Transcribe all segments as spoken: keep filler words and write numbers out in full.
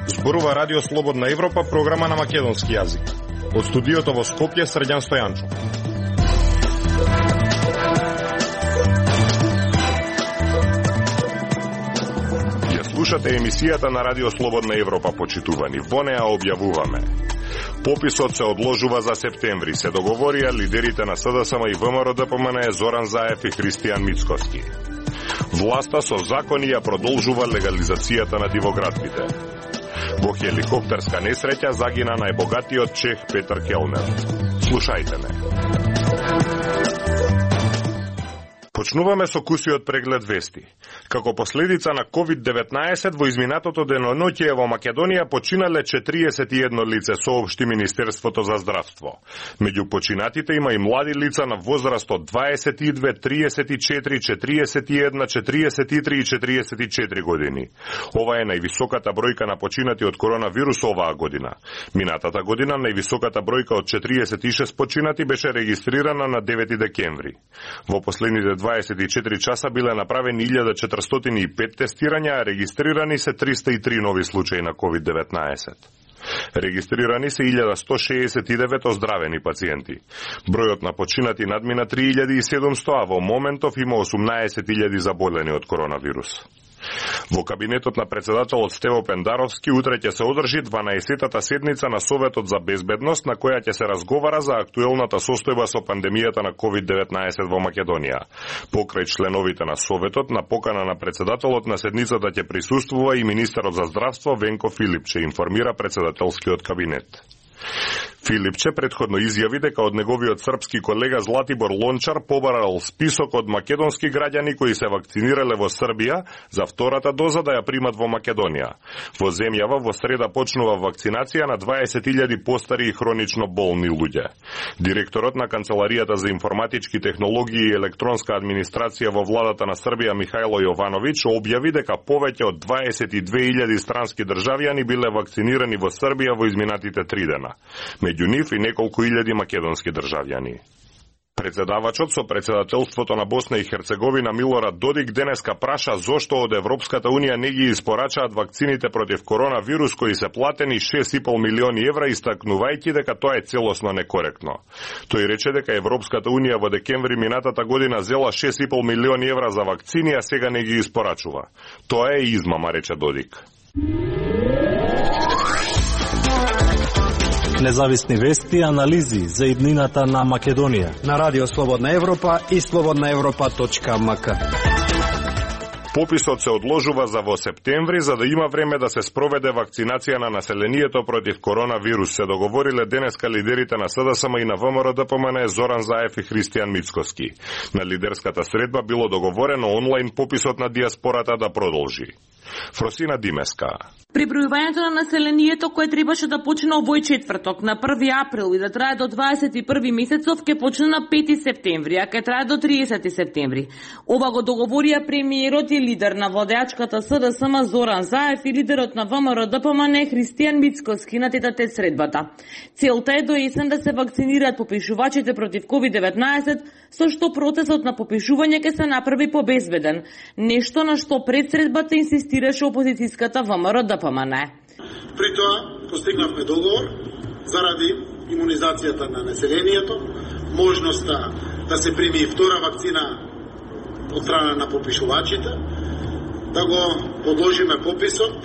Зборува Радио Слободна Европа, програма на македонски јазик. Од студиото во Скопје, Срđan Стојанчо. Ја слушате емисијата на Радио Слободна Европа, почитувани. Во неа објавуваме: пописот се одложува за септември. Се договорија лидерите на СДСМ и ВМРО-ДПМН Зоран Заев и Христијан Мицкоски. Власта со закони ја продолжува легализацијата на дивоградбите. Во хеликоптерска несреќа загина најбогатиот чех Петер Келнер. Слушајте ме. Почнуваме со кусиот преглед вести. Како последица на ковид деветнаесет во изминатото деноноќие во Македонија починале четириесет и едно лице, соопшти Министерството за здравство. Меѓу починатите има и млади лица на возраст од дваесет и две, триесет и четири, четириесет и една, четириесет и три и четириесет и четири години. Ова е највисоката бројка на починати од коронавирус оваа година. Минатата година највисоката бројка од четириесет и шест починати беше регистрирана на девети декември. Во последните дваесет и четири часа биле направени илјада четиристотини и пет тестирања, а регистрирани се триста и три нови случаи на ковид деветнаесет. Регистрирани се илјада сто шеесет и девет оздравени пациенти. Бројот на починати надмина три илјади и седумсто, а во моментов има осумнаесет илјади заболени од коронавирус. Во кабинетот на председателот Стево Пендаровски утре ќе се одржи дванаесеттата седница на Советот за безбедност, на која ќе се разговара за актуелната состојба со пандемијата на ковид деветнаесет во Македонија. Покрај членовите на Советот, на покана на председателот на седницата ќе присуствува и министерот за здравство Венко Филипче, информира председателскиот кабинет. Филипче предходно изјави дека од неговиот српски колега Златибор Лончар побарал список од македонски граѓани кои се вакцинирале во Србија за втората доза да ја примат во Македонија. Во земјава во среда почнува вакцинација на дваесет илјади постари и хронично болни луѓе. Директорот на Канцеларијата за информатички технологии и електронска администрација во владата на Србија Михајло Јовановиќ објави дека повеќе од дваесет и две илјади странски државјани биле вакцинирани во Србија во изминатите три дена. Меѓу нив и неколку илјади македонски државјани. Председавачот со председателството на Босна и Херцеговина Милорад Додик денеска праша зошто од Европската Унија не ги испорачаат вакцините против коронавирус кои се платени шест и пол милиони евра, истакнувајќи дека тоа е целосно некоректно. Тој рече дека Европската Унија во декември минатата година зела шест и пол милиони евра за вакцини, а сега не ги испорачува. Тоа е измама, рече Додик. Независни вести и анализи за иднината на Македонија на Радио Слободна Европа и слободна европа точка ем ка. Пописот се одложува за во септември за да има време да се спроведе вакцинација на населението против коронавирус, се договориле денеска лидерите на СДСМ и на ВМРО-ДПМН Зоран Заев и Христијан Мицкоски. На лидерската средба било договорено онлайн пописот на диаспората да продолжи. Фросина Димеска. Пребројувањето на населението кое требаше да почне овој четврток на први април и да трае до дваесет и први месецов ќе почне на пети септември, а ќе трае до тридесети септември. Ова го договорија премиерот и лидер на владеачката СДСМ Зоран Заев и лидерот на ВМРО-ДПМН Христијан Мицкоски на тетате средбата. Целта е до есен да се вакцинираат попишувачите против ковид деветнаесет, со што процесот на попишување ќе се направи побезбеден, нешто на што пред средбата инсистираше опозицијската ВМРО-ДПМН. При тоа постигнавме договор заради имунизацијата на населението, можноста да се прими и втора вакцина од страна на попишувачите, да го подложиме пописот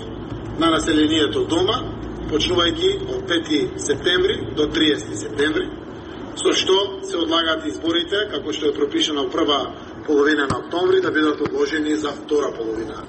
на населението дома, почнувајќи од пети септември до триесети септември, со што се одлагаат изборите, како што е пропишано во прва половина на октомври, да бидат одложени за втора половина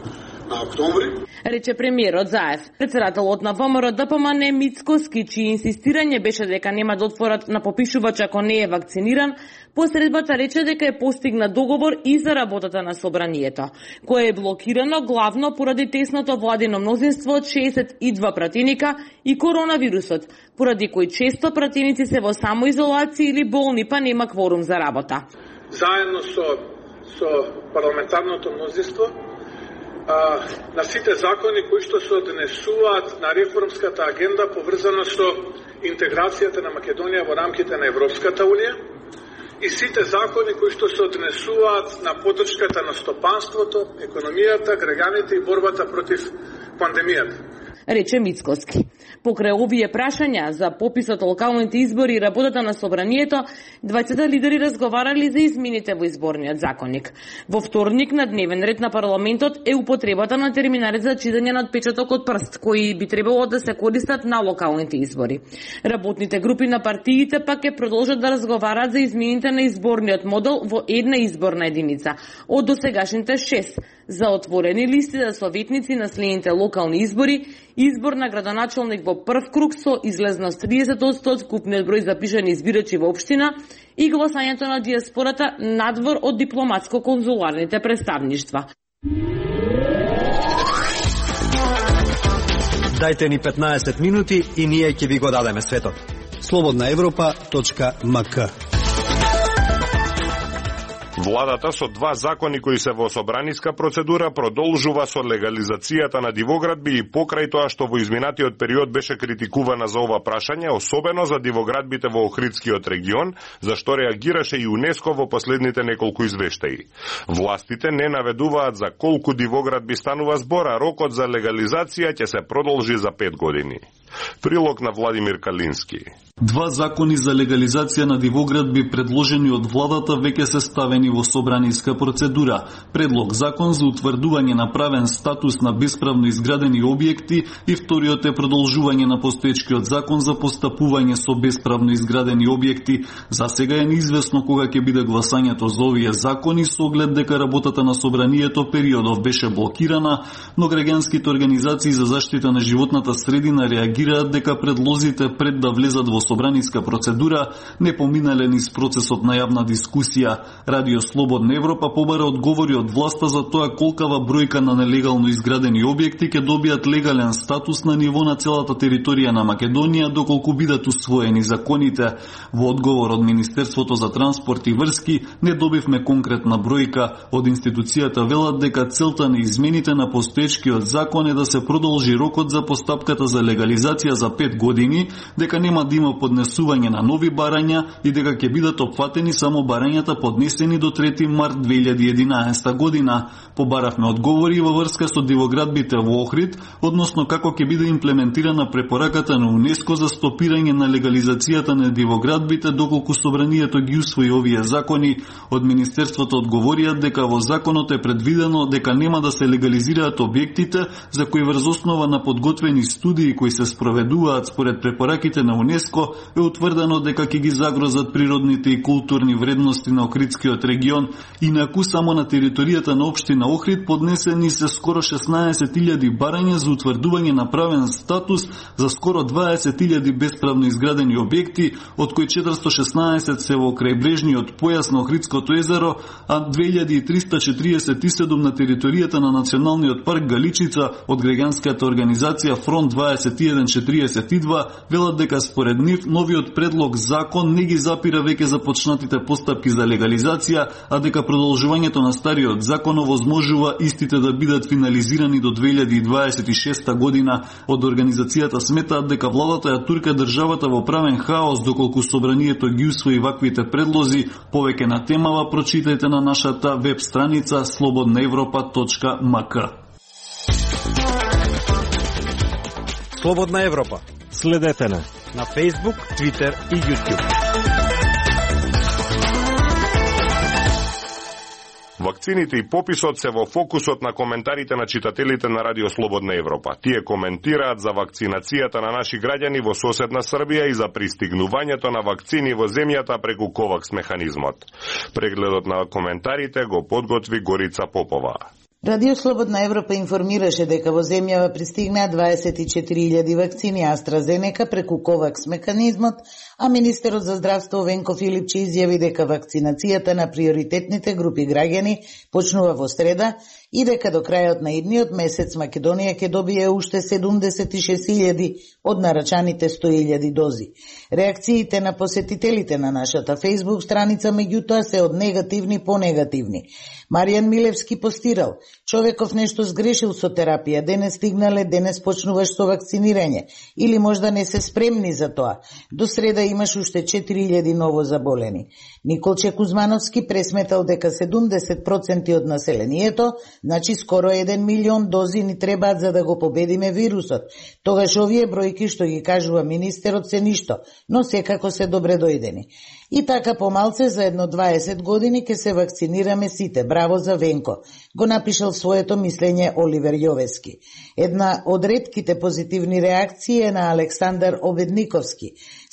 на октомври. Рече премиерот Заев. Председателот на ВМРО-ДПМН Мицкоски, чии инсистирање беше дека нема да отворат на попишувач ако не е вакциниран, посредбата рече дека е постигнат договор и за работата на собранието, кое е блокирано главно поради тесното владино мнозинство од шеесет и два пратеника и коронавирусот, поради кој често пратеници се во самоизолација или болни, па нема кворум за работа. Заедно со, со парламентарното мнозинство, А, на сите закони кои што се однесуваат на реформската агенда поврзана со интеграцијата на Македонија во рамките на Европската Унија и сите закони кои што се однесуваат на поддршката на стопанството, економијата, граѓаните и борбата против пандемијата. Рече Мицкоски. Покрај овие прашања за пописот локалните избори и работата на собранието, двајцата лидери разговарали за измените во изборниот законник. Во вторник на дневен ред на парламентот е употребата на терминалите за читање на отпечаток од прст, кои би требало да се користат на локалните избори. Работните групи на партиите пак ќе продолжат да разговараат за измените на изборниот модел во една изборна единица, од досегашните шест, за отворени листи за советници на следните локални избори, избор на градоначалник во прв круг со излезност триесет одсто од вкупниот број запишани избирачи во општина и гласањето на диаспората надвор од дипломатско-конзуларните представништва. Дајте ни петнаесет минути и ние ќе ви го дадеме светот. слободна европа точка ем ка. Владата со два закони кои се во собраниска процедура продолжува со легализацијата на дивоградби и покрај тоа што во изминатиот период беше критикувана за ова прашање, особено за дивоградбите во Охридскиот регион, за што реагираше и ЮНЕСКО во последните неколку извештаи. Властите не наведуваат за колку дивоградби станува збор, а рокот за легализација ќе се продолжи за пет години. Прилог на Владимир Калински. Два закони за легализација на дивоградби предложени од владата веќе се ставени во собраниска процедура. Предлог закон за утврдување на правен статус на бесправно изградени објекти и вториот е продолжување на постоечкиот закон за постапување со бесправно изградени објекти. За сега е неизвестно кога ќе биде гласањето за овие закони, со оглед дека работата на собранието периодов беше блокирана, но граѓанските организации за заштита на животната средина реагираат дека предлозите пред да влезат во собраниска процедура не поминале низ процесот на јавна дискусија. Радио Слободна Европа побара одговори од власта за тоа колкава бројка на нелегално изградени објекти ќе добијат легален статус на ниво на целата територија на Македонија доколку бидат усвоени законите. Во одговор од Министерството за транспорт и врски не добивме конкретна бројка. Од институцијата велат дека целта на измените на постоечкиот закон е да се продолжи рокот за постапката за легализација за пет години, дека нема да има поднесување на нови барања и дека ќе бидат опфатени само барањата поднесени до трети март две илјади и единаесета година. Побаравме одговори во врска со дивоградбите во Охрид, односно како ќе биде имплементирана препораката на ЮНЕСКО за стопирање на легализацијата на дивоградбите доколку собранието ги усвои овие закони. Од Министерството одговорија дека во законот е предвидено дека нема да се легализираат објектите за кои врз основа на подготвени студии кои се спроведуваат според препораките на ЮНЕСКО е утврдено дека ќе ги загрозат природните и културни вредности на Охридскиот регион. Инаку само на територијата на општина Охрид поднесени се скоро шеснаесет илјади барања за утврдување на правен статус за скоро дваесет илјади бесправно изградени објекти, од кои четиристо шеснаесет се во крајбрежниот појас на Охридското езеро, а две илјади триста четириесет и седум на територијата на Националниот парк Галичица. Од граѓанската организација Фронт дваесет и еден четириесет и два велат дека според нив новиот предлог закон не ги запира веќе започнатите постапки за легализација, а дека продолжувањето на стариот закон овозможува истите да бидат финализирани до две илјади дваесет и шеста година. Од организацијата сметаат дека владата ја турка државата во правен хаос доколку собранието ги усвои ваквите предлози. Повеќе на темава прочитајте на нашата веб страница слободна европа точка ем ка. Слободна Европа. Следете на на Facebook, Twitter и YouTube. Вакцините и пописот се во фокусот на коментарите на читателите на Радио Слободна Европа. Тие коментираат за вакцинацијата на наши граѓани во соседна Србија и за пристигнувањето на вакцини во земјата преку ковакс механизмот. Прегледот на коментарите го подготви Горица Попова. Радио Слободна Европа информираше дека во земјава пристигнаа дваесет и четири илјади вакцини AstraZeneca преку ковакс механизмот, а министерот за здравство Венко Филипче изјави дека вакцинацијата на приоритетните групи граѓани почнува во среда и дека до крајот на идниот месец Македонија ќе добие уште седумдесет и шест илјади од нарачаните сто илјади дози. Реакциите на посетителите на нашата Facebook страница меѓутоа се од негативни по негативни. Маријан Милевски постирал: човеков нешто сгрешил со терапија, денес стигнале, денес почнуваш со вакцинирање, или можда не се спремни за тоа. До среда имаш уште четири илјади ново заболени. Николче Кузмановски пресметал дека седумдесет проценти од населението, значи скоро еден милион дози ни требаат за да го победиме вирусот. Тогаш овие бројки што ги кажува министерот се ништо, но секако се добре дојдени. И така помалце за едно дваесет години ќе се вакцинираме сите. Браво за Венко, го напишал своето мислење Оливер Јовески. Една од ретките позитивни реакции е на Александар Обедниковски.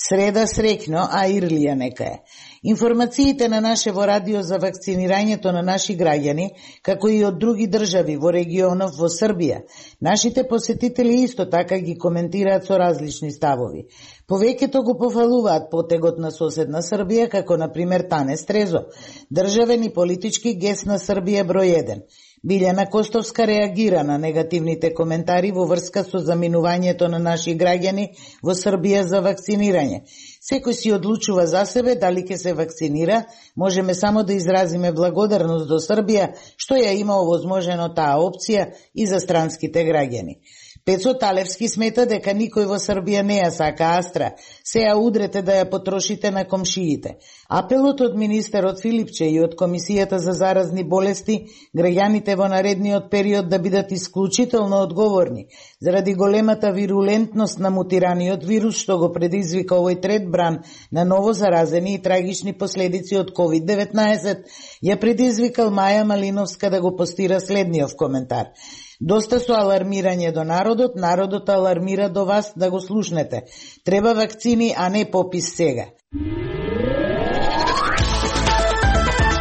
Среда среќно, а Ирлија нека е. Информациите на нашево радио за вакцинирањето на наши граѓани, како и од други држави во регионов во Србија. Нашите посетители исто така ги коментираат со различни ставови. Повеќето го пофалуваат потегот на соседна Србија, како на пример Тане Стрезо, државен и политички гест на Србија број еден. Билјана Костовска реагира на негативните коментари во врска со заминувањето на наши граѓани во Србија за вакцинирање. Секој си одлучува за себе дали ќе се вакцинира, можеме само да изразиме благодарност до Србија што ја има овозможено таа опција и за странските граѓани. Пецо Талевски смета дека никој во Србија не ја сака Астра, се ја удрете да ја потрошите на комшиите. Апелот од министерот Филипче и од Комисијата за заразни болести граѓаните во наредниот период да бидат исклучително одговорни заради големата вирулентност на мутираниот вирус што го предизвика овој трет бран на ново заразени и трагични последици од ковид деветнаесет, ја предизвикал Маја Малиновска да го постира следниот коментар. Доста со алармирање до народот, народот алармира до вас да го слушнете. Треба вакцини, а не попис сега.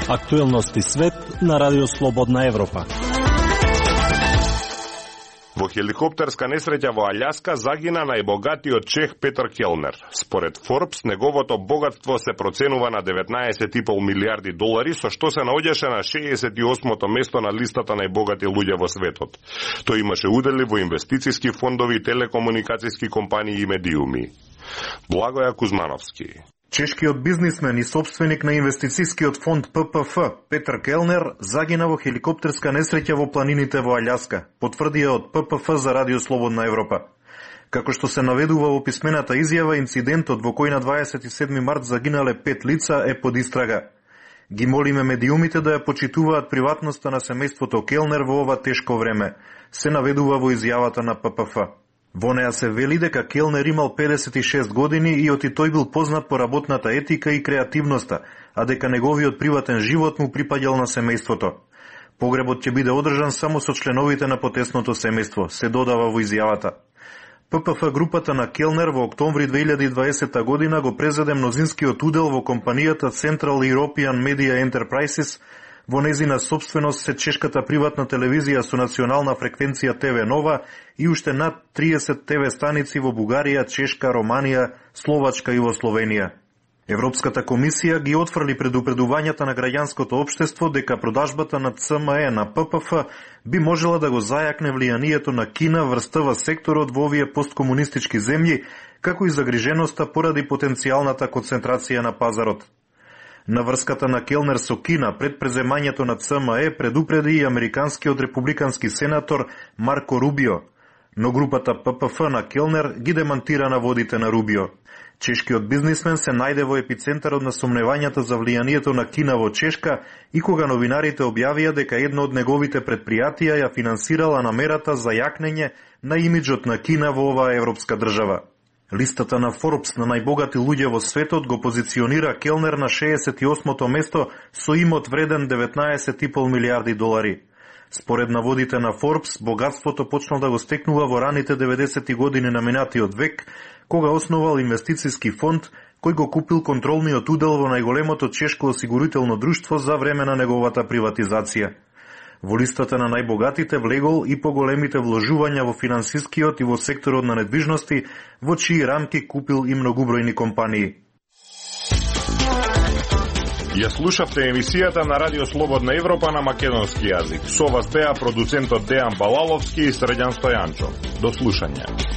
Актуелности свет на Радио Слободна Европа. Во хеликоптерска несреќа во Алјаска загина најбогатиот чех Петер Келнер. Според Forbes, неговото богатство се проценува на деветнаесет и пол милиарди долари, со што се наоѓаше на шеесет и осмо место на листата најбогати луѓе во светот. Тој имаше удели во инвестициски фондови, телекомуникацијски компании и медиуми. Благоја Кузмановски. Чешкиот бизнисмен и собственик на инвестицискиот фонд П П Ф Петер Келнер загина во хеликоптерска несреќа во планините во Алјаска, потврдија од П П Ф за Радио Слободна Европа. Како што се наведува во писмената изјава, инцидентот во кој на дваесет и седми март загинале пет лица е под истрага. Ги молиме медиумите да ја почитуваат приватноста на семејството Келнер во ова тешко време, се наведува во изјавата на П П Ф. Во неа се вели дека Келнер имал педесет и шест години и оти тој бил познат по работната етика и креативноста, а дека неговиот приватен живот му припаѓал на семејството. Погребот ќе биде одржан само со членовите на потесното семејство, се додава во изјавата. П П Ф групата на Келнер во октомври две илјади и дваесета година го презеде мнозинскиот удел во компанијата Central European Media Enterprises. Во незина собственост се чешката приватна телевизија со национална фреквенција Т В Нова и уште над триесет Т В станици во Бугарија, Чешка, Романија, Словачка и во Словенија. Европската комисија ги отфрли предупредувањата на граѓанското општество дека продажбата на Ц М Е на П П Ф би можела да го зајакне влијанието на Кина врстава секторот во овие посткомунистички земји, како и загриженоста поради потенцијалната концентрација на пазарот. На врската на Келнер со Кина пред преземањето на Ц М Е предупреди и американскиот републикански сенатор Марко Рубио, но групата П П Ф на Келнер ги демантира наводите на Рубио. Чешкиот бизнисмен се најде во епицентарот на сомневањата за влијанието на Кина во Чешка и кога новинарите објавија дека едно од неговите предпријатија ја финансирала намерата за јакнење на имиџот на Кина во оваа европска држава. Листата на Forbes на најбогати луѓе во светот го позиционира Келнер на шеесет и осмо место со имот вреден деветнаесет и пол милиарди долари. Според наводите на Forbes, богатството почнал да го стекнува во раните деветдесети години на минатиот век, кога основал инвестициски фонд кој го купил контролниот удел во најголемото чешко осигурително друштво за време на неговата приватизација. Во листата на најбогатите влегол и поголемите вложувања во финансискиот и во секторот на недвижности, во чии рамки купил и многубројни компании. Ја слушавте емисијата на Радио Слободна Европа на македонски јазик. Со вас беа продуцентот Дејан Балаловски и Срđan Стојанчов. До слушање.